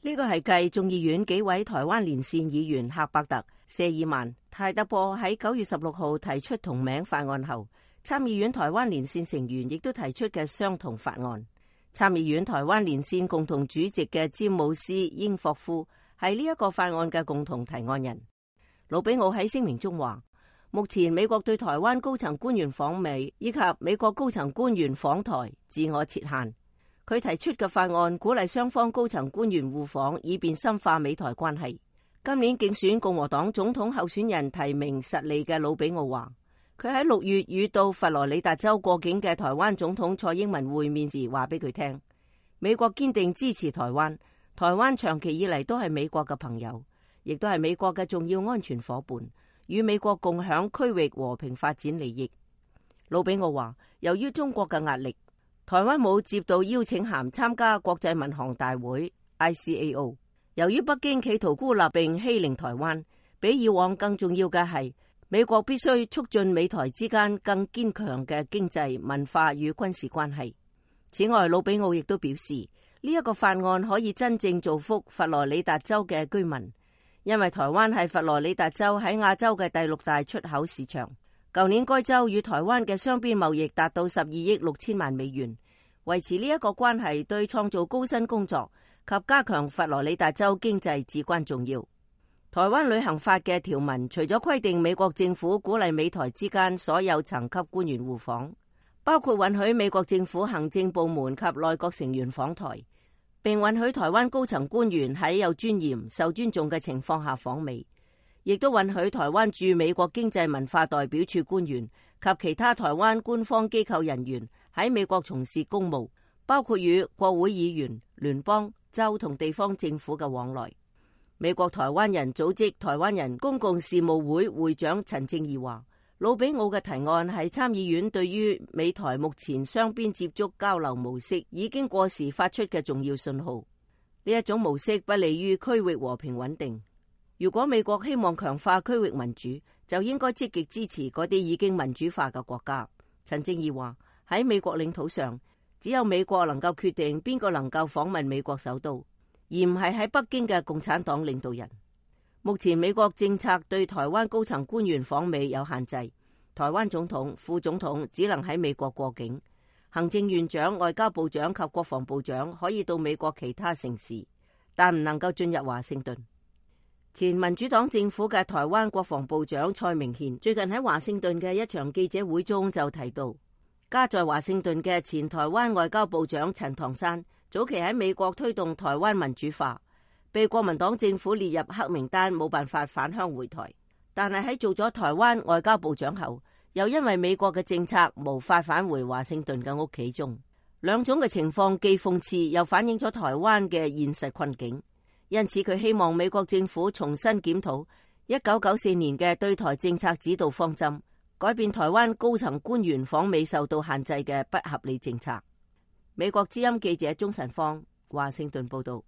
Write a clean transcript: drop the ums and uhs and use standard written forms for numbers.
呢個係繼眾議院幾位台灣連線議員赫伯特、謝爾曼、泰德波喺9月16號提出同名法案後，參議院台灣連線成員亦都提出嘅相同法案。參議院台灣連線共同主席嘅詹姆斯·英霍夫係呢一個法案嘅共同提案人。魯比奧喺聲明中話，目前美國對台灣高層官員訪美以及美國高層官員訪台自我設限。佢提出嘅法案鼓勵雙方高層官員互訪，以便深化美台關係。今年競選共和黨總統候選人提名實力嘅魯比奧話，佢喺6月與到佛羅里達州過境嘅台灣總統蔡英文會面時話俾佢聽，美國堅定支持台灣，台灣長期以嚟都係美國嘅朋友，亦都係美國嘅重要安全夥伴，與美國共享區域和平發展利益。魯比奧話，由於中國嘅壓力，台灣冇接到邀請函參加國際民航大會 ICAO。由於北京企圖孤立並欺凌台灣，比以往更重要嘅係，美國必須促進美台之間更堅強嘅經濟、文化與軍事關係。此外，魯比奧亦都表示，呢一個法案可以真正造福佛羅里達州嘅居民，因為台灣係佛羅里達州喺亞洲嘅第6大出口市場。舊年該州與台灣嘅雙邊貿易達到12億6千萬美元，維持呢一個關係對創造高薪工作及加強佛羅里達州經濟至關重要。台灣旅行法嘅條文除咗規定美國政府鼓勵美台之間所有層級官員互訪，包括允許美國政府行政部門及內閣成員訪台，並允許台灣高層官員喺有尊嚴、受尊重嘅情況下訪美，亦都允許台灣駐美國經濟文化代表處官員及其他台灣官方機構人員喺美國從事公務，包括與國會議員、聯邦、州同地方政府嘅往來。美國台灣人組織台灣人公共事務會會長陳正義話，魯比奧嘅提案係參議院對於美台目前雙邊接觸交流模式已經過時發出嘅重要信號。呢一種模式不利於區域和平穩定。如果美國希望強化區域民主，就應該積極支持嗰啲已經民主化嘅國家。陳正義話，喺美國領土上，只有美國能夠決定邊個能夠訪問美國首都，而唔係喺北京嘅共產黨領導人。目前美國政策對台灣高層官員訪美有限制，台灣總統、副總統只能喺美國過境，行政院長、外交部長及國防部長可以到美國其他城市，但唔能夠進入華盛頓。前民主黨政府嘅台灣國防部長蔡明憲最近喺華盛頓嘅一場記者會中就提到，家在華盛頓嘅前台灣外交部長陳唐山早期喺美國推動台灣民主化，被國民黨政府列入黑名單，冇辦法返鄉回台。但係喺做咗台灣外交部長後，又因為美國嘅政策無法返回華盛頓嘅屋企中。兩種嘅情況既諷刺又反映咗台灣嘅現實困境。因此佢希望美國政府重新檢討1994年嘅對台政策指導方針，改變台灣高層官員訪美受到限制嘅不合理政策。美國之音記者鍾晨芳，華盛頓報道。